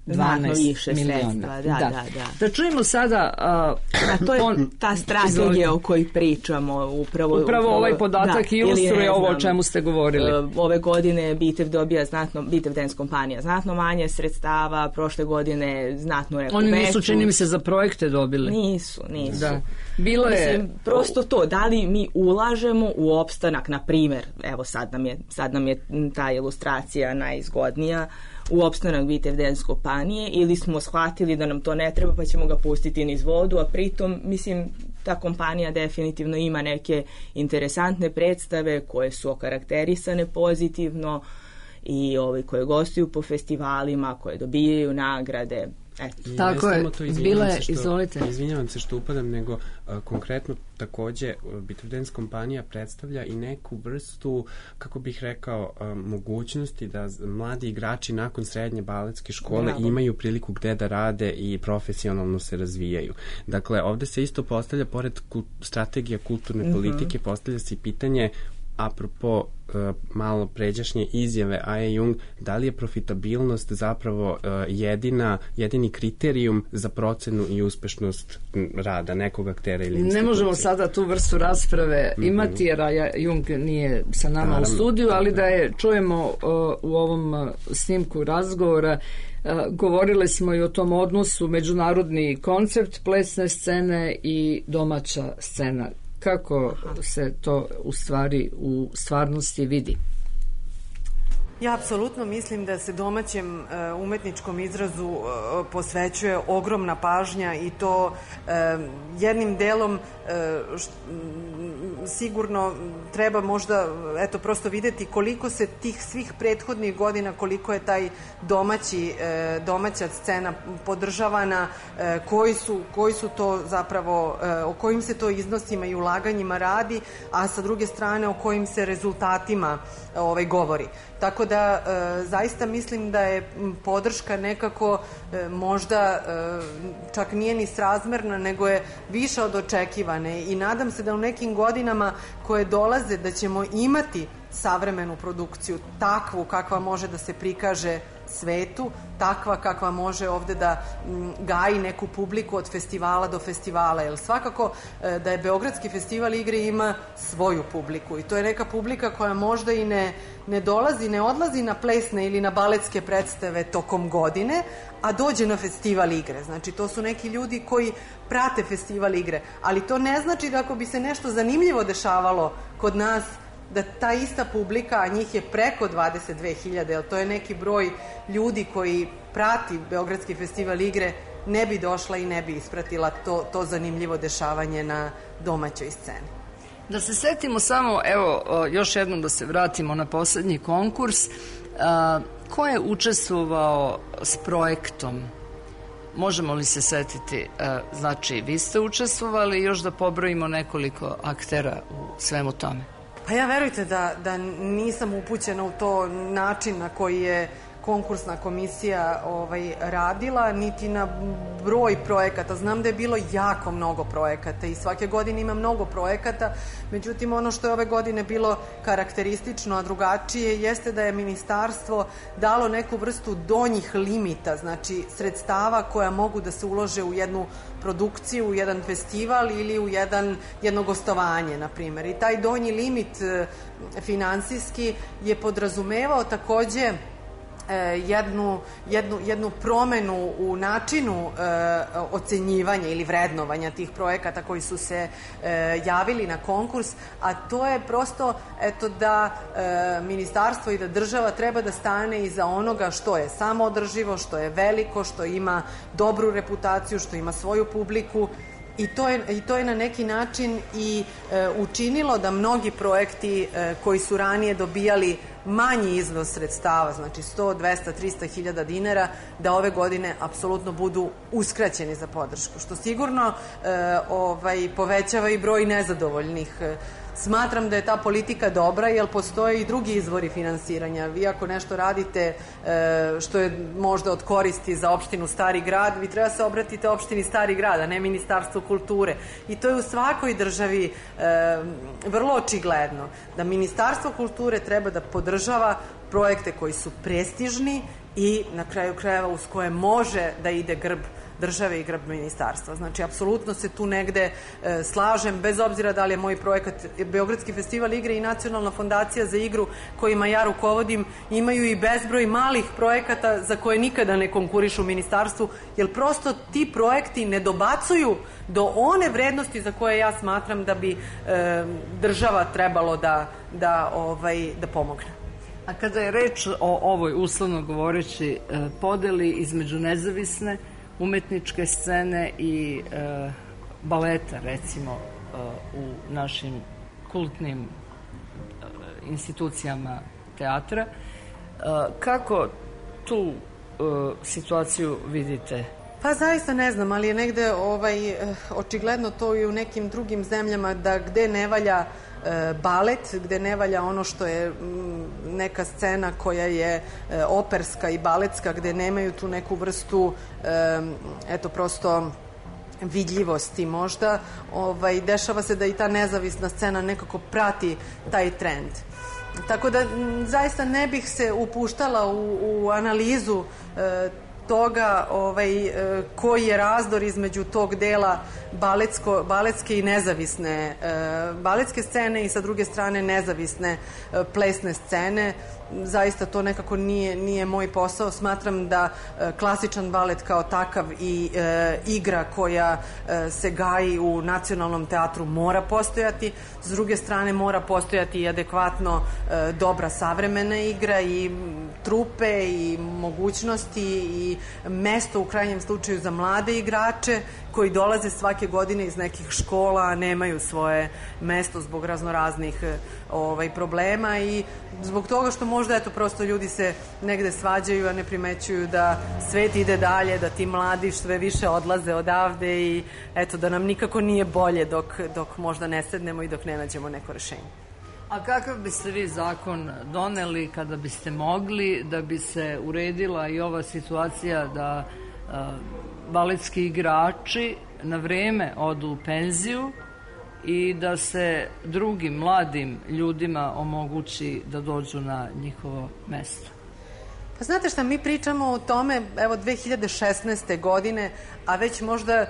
S3: dvanaest miliona.
S1: Da, da, da, da.
S3: Da čujemo sada... Uh,
S1: A to je on, ta strategija o kojoj pričamo. Upravo,
S3: upravo, upravo ovaj podatak da, ilustruje ovo o čemu ste govorili.
S1: Uh, ove godine Bitev dobija znatno, Bitev Dance kompanija znatno manje sredstava, prošle godine znatno neku
S3: Oni nisu,
S1: veću.
S3: čini mi se, za projekte dobili.
S1: Nisu, nisu.
S3: Da. Bilo je...
S1: Mislim, prosto to, da li mi ulažemo u opstanak, na primjer, evo sad nam je, sad nam je ta ilustracija najzgodnija, u opstanak Bitev Dance kompanije, ili smo shvatili da nam to ne treba pa ćemo ga pustiti niz vodu, a pritom, mislim, ta kompanija definitivno ima neke interesantne predstave koje su okarakterisane pozitivno i ovi koje gostuju po festivalima, koje dobijaju nagrade. Eto.
S3: Tako je, bila je, izvolite.
S4: Izvinjavam se što upadam, nego uh, konkretno takođe Bitev Dance kompanija predstavlja i neku vrstu, kako bih rekao, uh, mogućnosti da mladi igrači nakon srednje baletske škole Bravo. imaju priliku gde da rade i profesionalno se razvijaju. Dakle, ovde se isto postavlja, pored kult, strategija kulturne mm-hmm. politike, postavlja se i pitanje apropo uh, malo pređašnje izjave Aja Jung, da li je profitabilnost zapravo uh, jedina, jedini kriterijum za procenu i uspešnost rada nekog aktera ili institucije?
S3: Ne možemo sada tu vrstu rasprave mm-hmm. imati, jer Aja Jung nije sa nama Naravno, u studiju, ali da je čujemo uh, u ovom uh, snimku razgovora. Uh, govorili smo i o tom odnosu međunarodni koncept plesne scene i domaća scena. Kako se to u stvari u stvarnosti vidi?
S5: Ja apsolutno mislim da se domaćem uh, umetničkom izrazu uh, posvećuje ogromna pažnja i to uh, jednim delom uh, št, m, sigurno treba možda eto prosto videti koliko se tih svih prethodnih godina, koliko je taj domaći uh, domaća scena podržavana, uh, koji su koji su to zapravo uh, o kojim se to iznosima i ulaganjima radi, a sa druge strane o kojim se rezultatima uh, ovaj govori. Tako da e, zaista mislim da je podrška nekako e, možda e, čak nije ni srazmerna, nego je više od očekivane i nadam se da u nekim godinama koje dolaze da ćemo imati savremenu produkciju, takvu kakva može da se prikaže svetu, takva kakva može ovde da m, gaji neku publiku od festivala do festivala, jer svakako e, da je Beogradski festival igre ima svoju publiku i to je neka publika koja možda i ne, ne dolazi, ne odlazi na plesne ili na baletske predstave tokom godine, a dođe na festival igre. Znači, to su neki ljudi koji prate festival igre, ali to ne znači da ako bi se nešto zanimljivo dešavalo kod nas, da ta ista publika, a njih je preko dvadeset dve hiljade, jer to je neki broj ljudi koji prati Beogradski festival igre, ne bi došla i ne bi ispratila to, to zanimljivo dešavanje na domaćoj sceni.
S3: Da se setimo samo, evo, još jednom da se vratimo na poslednji konkurs. A, ko je učestvovao s projektom? Možemo li se setiti? A, znači, vi ste učestvovali, još da pobrojimo nekoliko aktera u svemu tome.
S5: Pa ja verujte da, da nisam upućena u to način na koji je konkursna komisija ovaj, radila, niti na broj projekata. Znam da je bilo jako mnogo projekata i svake godine ima mnogo projekata, međutim ono što je ove godine bilo karakteristično, a drugačije, jeste da je ministarstvo dalo neku vrstu donjih limita, znači sredstava koja mogu da se ulože u jednu produkciju, u jedan festival ili u jedan, jedno gostovanje, na primjer. I taj donji limit e, finansijski je podrazumevao takođe jednu, jednu, jednu promenu u načinu e, ocenjivanja ili vrednovanja tih projekata koji su se e, javili na konkurs, a to je prosto eto da e, ministarstvo i da država treba da stane iza onoga što je samoodrživo, što je veliko, što ima dobru reputaciju, što ima svoju publiku. I to, je, I to je na neki način i e, učinilo da mnogi projekti e, koji su ranije dobijali manji iznos sredstava, znači sto, dvesta, trista hiljada dinara, da ove godine apsolutno budu uskraćeni za podršku, što sigurno e, ovaj, povećava i broj nezadovoljnih. Smatram da je ta politika dobra, jer postoje i drugi izvori finansiranja. Vi ako nešto radite e, što je možda od koristi za opštinu Stari grad, vi treba se obratite opštini Stari grad, a ne Ministarstvu kulture. I to je u svakoj državi e, vrlo očigledno, da Ministarstvo kulture treba da podržava projekte koji su prestižni i na kraju krajeva uz koje može da ide grb države i grb ministarstva. Znači, apsolutno se tu negde e, slažem, bez obzira da li je moj projekat Beogradski festival igre i Nacionalna fondacija za igru kojima ja rukovodim, imaju i bezbroj malih projekata za koje nikada ne konkurišu u ministarstvu, jer prosto ti projekti ne dobacuju do one vrednosti za koje ja smatram da bi e, država trebalo da, da, ovaj, da pomogne.
S3: A kada je reč o ovoj, uslovno govoreći, podeli između nezavisne umetničke scene i e, baleta, recimo, e, u našim kultnim e, institucijama teatra, e, kako tu e, situaciju vidite?
S5: Pa zaista ne znam, ali je negde ovaj, očigledno to i u nekim drugim zemljama, da gde ne valja balet, gde ne valja ono što je neka scena koja je operska i baletska, gde nemaju tu neku vrstu eto prosto vidljivosti možda, ovaj, dešava se da i ta nezavisna scena nekako prati taj trend. Tako da zaista ne bih se upuštala u, u analizu e, toga ovaj, koji je razdor između tog dela baletsko, baletske i nezavisne e, baletske scene i sa druge strane nezavisne e, plesne scene. Zaista to nekako nije, nije moj posao. Smatram da e, klasičan balet kao takav i e, igra koja e, se gaji u Nacionalnom teatru mora postojati. S druge strane mora postojati i adekvatno e, dobra savremena igra i trupe i mogućnosti i mesto u krajnjem slučaju za mlade igrače koji dolaze svake godine iz nekih škola, a nemaju svoje mesto zbog raznoraznih ovaj, problema i zbog toga što možda eto prosto ljudi se negde svađaju, a ne primećuju da svet ide dalje, da ti mladi sve više odlaze odavde i eto da nam nikako nije bolje dok, dok možda ne sednemo i dok ne nađemo neko rešenje.
S3: A kakav biste vi zakon doneli kada biste mogli da bi se uredila i ova situacija da a, baletski igrači na vreme odu u penziju i da se drugim mladim ljudima omogući da dođu na njihovo mesto?
S5: Pa znate šta, mi pričamo o tome, evo, dve hiljade šesnaeste. godine, a već možda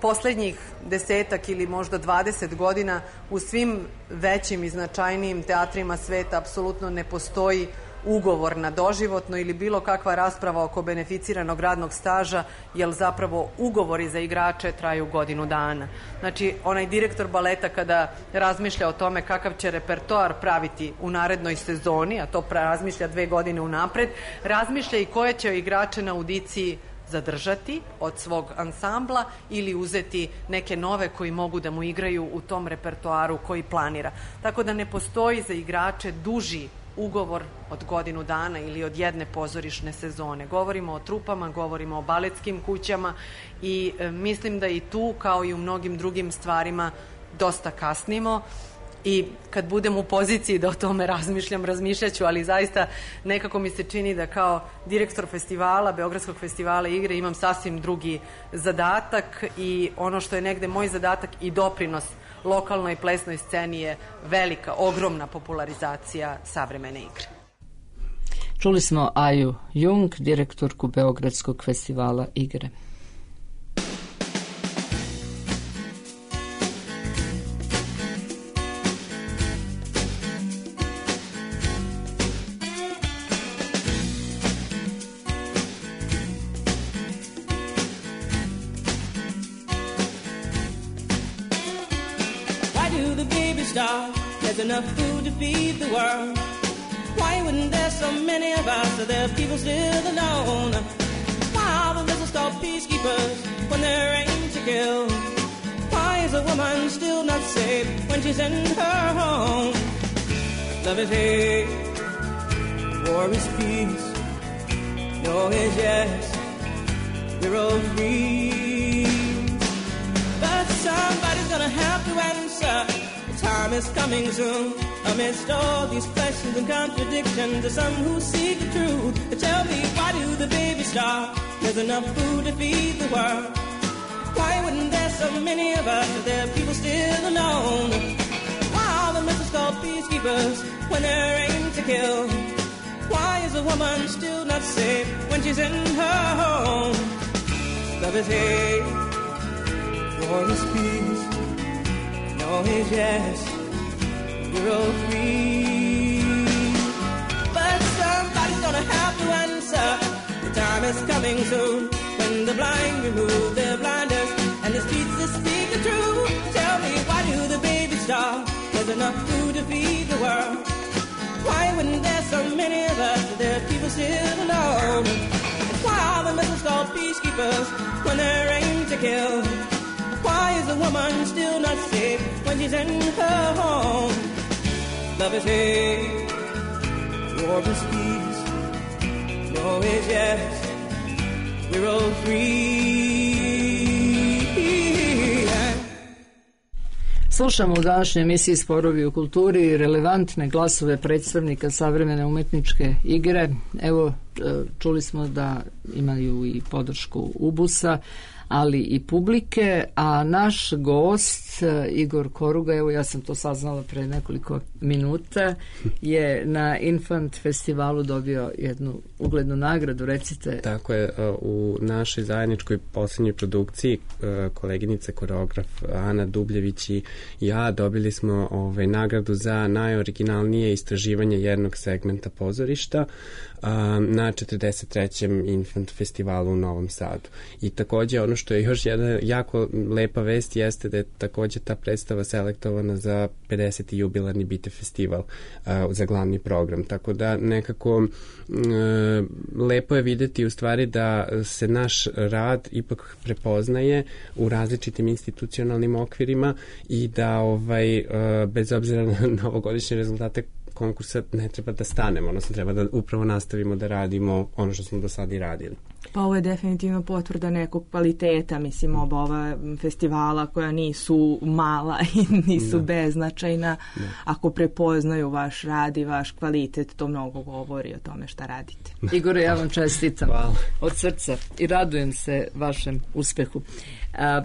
S5: poslednjih desetak ili možda dvadeset godina u svim većim i značajnijim teatrima sveta apsolutno ne postoji ugovor na doživotno ili bilo kakva rasprava oko beneficiranog radnog staža, jer zapravo ugovori za igrače traju godinu dana. Znači, onaj direktor baleta kada razmišlja o tome kakav će repertoar praviti u narednoj sezoni, a to razmišlja dve godine unapred, razmišlja i koje će igrače na audiciji zadržati od svog ansambla ili uzeti neke nove koji mogu da mu igraju u tom repertoaru koji planira. Tako da ne postoji za igrače duži ugovor od godinu dana ili od jedne pozorišne sezone. Govorimo o trupama, govorimo o baletskim kućama i e, mislim da i tu, kao i u mnogim drugim stvarima, dosta kasnimo i kad budem u poziciji da o tome razmišljam, razmišljaću, ali zaista nekako mi se čini da kao direktor festivala, Beogradskog festivala igre, imam sasvim drugi zadatak i ono što je negde moj zadatak i doprinos lokalnoj plesnoj sceni je velika, ogromna popularizacija savremene igre.
S3: Čuli smo Aju Jung, direktorku Beogradskog festivala igre.
S6: There's enough food to feed the world. Why wouldn't there so many of us? Are there people still alone? Why are the missiles called peacekeepers when they're aimed to kill? Why is a woman still not safe when she's in her home? Love is hate, war is peace. No is yes, we're all free. But somebody's gonna have to answer. Time is coming soon. Amidst all these questions and contradictions, there's some who seek the truth. But tell me, why do the babies starve? There's enough food to feed the world. Why wouldn't there so many of us? Are there people still alone? Why are the missiles called peacekeepers when they're aimed to kill? Why is a woman still not safe when she's in her home? Love is hate, war is peace. No is yes, we're all free. But somebody's gonna have to answer. The time is coming soon when the blind remove their blinders and the streets that speak the truth. Tell me, why do the babies starve? There's enough food to feed the world. Why wouldn't there so many of us? Are there people still alone? Why are the missiles called peacekeepers when they're aimed to kill? Why is a woman still not safe when she's in her home? Love is hate, war is peace. No is yes, we're all free.
S3: Slušamo u današnjoj emisiji Sporovi u kulturi relevantne glasove predstavnika savremene umetničke igre. Evo, čuli smo da imaju i podršku Ubusa, ali i publike, a naš gost Igor Koruga, evo ja sam to saznala pre nekoliko minuta, je na Infant festivalu dobio jednu uglednu nagradu, recite.
S4: Tako je, u našoj zajedničkoj posljednjoj produkciji koleginice koreograf Ana Dubljević i ja dobili smo ovaj, nagradu za najoriginalnije istraživanje jednog segmenta pozorišta na četrdeset trećem Infant festivalu u Novom Sadu. I takođe ono što je još jedna jako lepa vest jeste da je takođe ta predstava selektovana za pedeseti jubilarni Bite festival uh, za glavni program. Tako da nekako uh, lepo je videti u stvari da se naš rad ipak prepoznaje u različitim institucionalnim okvirima i da ovaj, uh, bez obzira na novogodišnje rezultate konkursa ne treba da stanemo, odnosno treba da upravo nastavimo da radimo ono što smo do sada i radili.
S1: Pa ovo je definitivno potvrda nekog kvaliteta, mislim, oba ova festivala koja nisu mala i nisu da. beznačajna. Da. Ako prepoznaju vaš rad i vaš kvalitet, to mnogo govori o tome šta radite.
S3: Igore, ja vam čestitam
S4: Hvala.
S3: Od srca i radujem se vašem uspehu. A,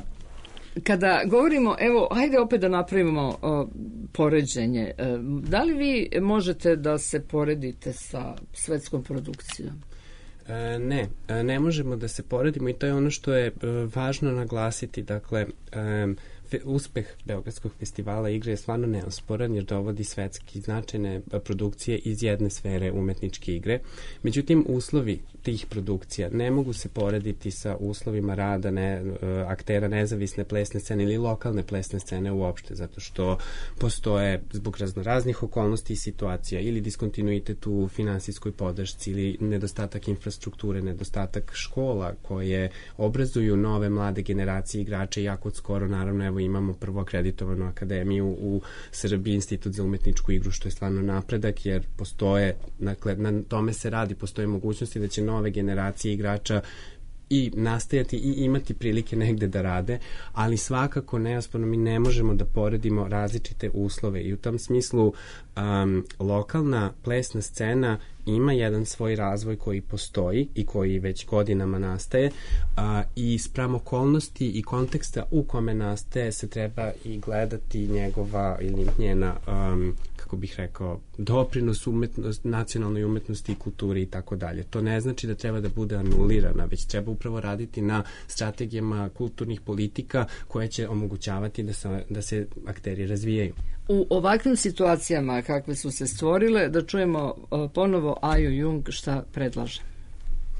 S3: Kada govorimo, evo, ajde opet da napravimo o, poređenje. E, da li vi možete da se poredite sa svetskom produkcijom?
S4: E, ne, ne možemo da se poredimo i to je ono što je e, važno naglasiti. Dakle, e, uspeh Beogradskog festivala igre je stvarno neosporan jer dovodi svetski značajne produkcije iz jedne sfere umetničke igre. Međutim, uslovi tih produkcija ne mogu se porediti sa uslovima rada ne, aktera nezavisne plesne scene ili lokalne plesne scene uopšte, zato što postoje zbog raznoraznih okolnosti i situacija ili diskontinuitet u finansijskoj podršci ili nedostatak infrastrukture, nedostatak škola koje obrazuju nove mlade generacije igrača i jako skoro, naravno, evo imamo prvo akreditovanu akademiju u Srbiji, Institut za umetničku igru, što je stvarno napredak, jer postoje, dakle, na tome se radi, postoje mogućnosti da će nove generacije igrača i nastajati i imati prilike negde da rade, ali svakako neosporno mi ne možemo da poredimo različite uslove i u tom smislu um, lokalna plesna scena ima jedan svoj razvoj koji postoji i koji već godinama nastaje a, i spram okolnosti i konteksta u kome nastaje se treba i gledati njegova ili njena um, kako bih rekao, doprinos umetnost, nacionalnoj umetnosti i kulturi i tako dalje. To ne znači da treba da bude anulirana, već treba upravo raditi na strategijama kulturnih politika koje će omogućavati da se, da se akteri razvijaju.
S3: U ovakvim situacijama kakve su se stvorile, da čujemo ponovo Aju Jung šta predlaže.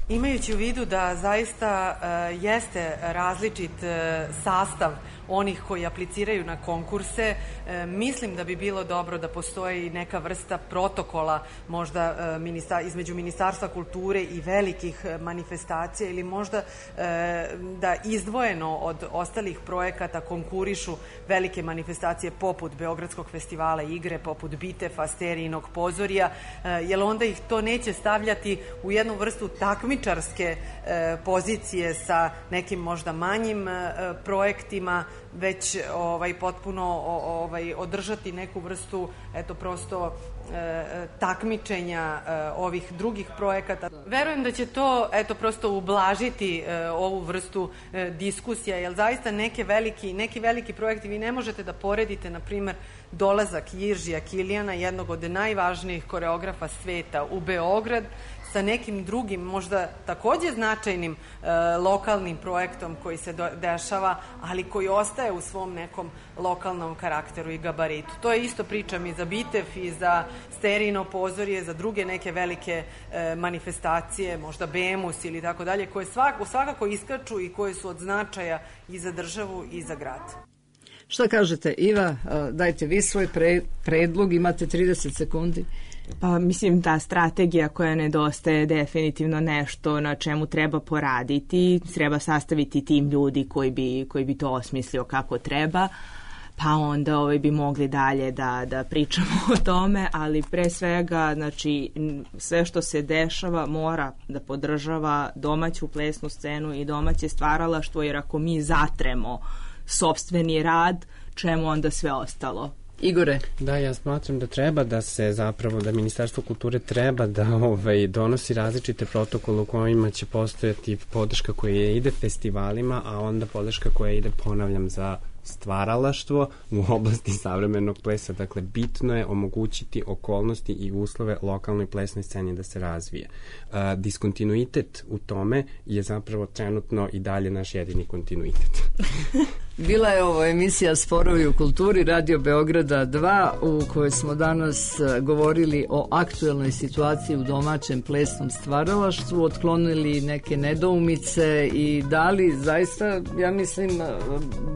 S5: Imajući u vidu da zaista uh, jeste različit uh, sastav onih koji apliciraju na konkurse, e, mislim da bi bilo dobro da postoji neka vrsta protokola možda e, ministar, između Ministarstva kulture i velikih manifestacija ili možda e, da izdvojeno od ostalih projekata konkurišu velike manifestacije poput Beogradskog festivala igre, poput Bitefa, Sterijinog pozorija, e, jer onda ih to neće stavljati u jednu vrstu takmičarske e, pozicije sa nekim možda manjim e, projektima, već ovaj potpuno ovaj održati neku vrstu eto prosto e, takmičenja e, ovih drugih projekata. Verujem da će to eto prosto ublažiti e, ovu vrstu e, diskusija, jer zaista neke veliki, neki veliki projekti vi ne možete da poredite, na primer, dolazak Jiržija Kilijana, jednog od najvažnijih koreografa sveta, u Beograd sa nekim drugim, možda takođe značajnim e, lokalnim projektom koji se do, dešava, ali koji ostaje u svom nekom lokalnom karakteru i gabaritu. To je isto pričam i za Bitef i za Sterijino pozorje, za druge neke velike e, manifestacije, možda Bemus ili tako dalje, koje svak, svakako iskaču i koje su od značaja i za državu i za grad.
S3: Šta kažete, Iva? Dajte vi svoj pre, predlog, imate trideset sekundi.
S1: Pa mislim ta strategija koja nedostaje definitivno nešto na čemu treba poraditi, treba sastaviti tim ljudi koji bi, koji bi to osmislio kako treba, pa onda ovaj, bi mogli dalje da, da pričamo o tome, ali pre svega znači, sve što se dešava mora da podržava domaću plesnu scenu i domaće stvaralaštvo, jer ako mi zatremo sopstveni rad, čemu onda sve ostalo?
S3: Igore.
S4: Da, ja smatram da treba da se zapravo, da Ministarstvo kulture treba da ovaj, donosi različite protokole u kojima će postojati podrška koja ide festivalima, a onda podrška koja ide, ponavljam, za stvaralaštvo u oblasti savremenog plesa. Dakle, bitno je omogućiti okolnosti i uslove lokalnoj plesnoj sceni da se razvije. Uh, diskontinuitet u tome je zapravo trenutno i dalje naš jedini kontinuitet.
S3: Bila je ovo emisija Sporovi u kulturi Radio Beograda dva, u kojoj smo danas govorili o aktuelnoj situaciji u domaćem plesnom stvaralaštvu, otklonili neke nedoumice i dali zaista, ja mislim,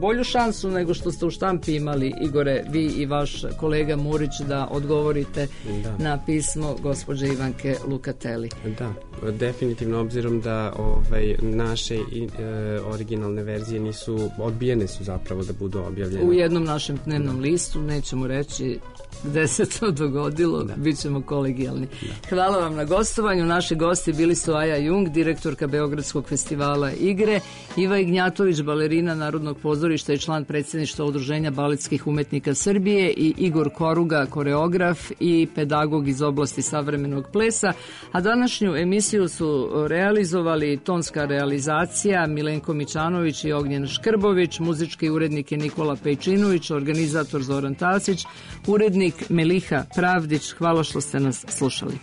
S3: bolju šansu nego što ste u štampi imali, Igore, vi i vaš kolega Murić, da odgovorite da. na pismo gospođe Ivanke Lukateli.
S4: Da, definitivno, obzirom da ovaj, naše i, e, originalne verzije nisu odbijene, su zapravo da budu objavljene.
S3: U jednom našem dnevnom listu, nećemo reći gde se to dogodilo, da. bit ćemo kolegijalni. Da. Hvala vam na gostovanju. Naši gosti bili su Aja Jung, direktorka Beogradskog festivala igre, Iva Ignjatović, balerina Narodnog pozorišta i član predsjedništva Udruženja baletskih umetnika Srbije i Igor Koruga, koreograf i pedagog iz oblasti savremenog plesa, a današnju emisiju su realizovali tonska realizacija Milenko Mičanović i Ognjen Škrbović, muzički urednik je Nikola Pejčinović, organizator Zoran Tasić, urednik Meliha Pravdić. Hvala što ste nas slušali.